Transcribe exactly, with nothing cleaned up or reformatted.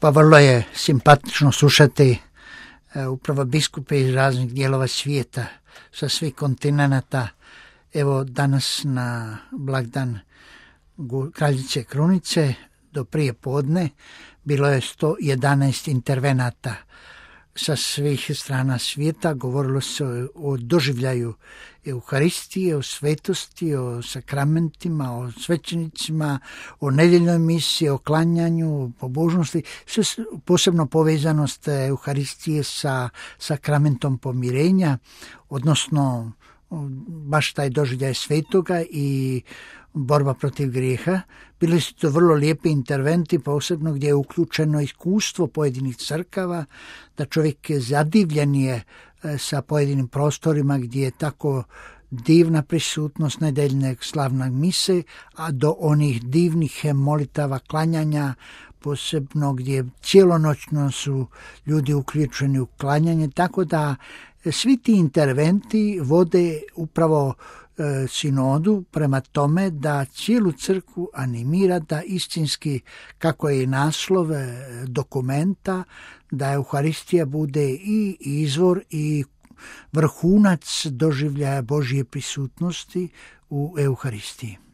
Pa vrlo je simpatično slušati upravo biskupe iz raznih dijelova svijeta, sa svih kontinenata. Evo danas na blagdan Kraljice Krunice do prije podne bilo je sto jedanaest intervenata sa svih strana svijeta. Govorilo se o doživljaju Euharistije, o svetosti, o sakramentima, o svećenicima, o nedjeljnoj misiji, o klanjanju, o pobožnosti, sve posebno povezanost Euharistije sa sakramentom pomirenja, odnosno baš taj doživljaj svetoga i borba protiv grijeha. Bili su to vrlo lijepi interventi, posebno gdje je uključeno iskustvo pojedinih crkava, da čovjek je zadivljen je sa pojedinim prostorima gdje je tako divna prisutnost nedeljne slavne mise, a do onih divnih molitava klanjanja, posebno gdje cijelonoćno su ljudi uključeni u klanjanje, tako da svi ti interventi vode upravo e, sinodu prema tome da cijelu crkvu animira da istinski, kako je i naslov dokumenta, da Euharistija bude i izvor i vrhunac doživljaja Božje prisutnosti u Euharistiji.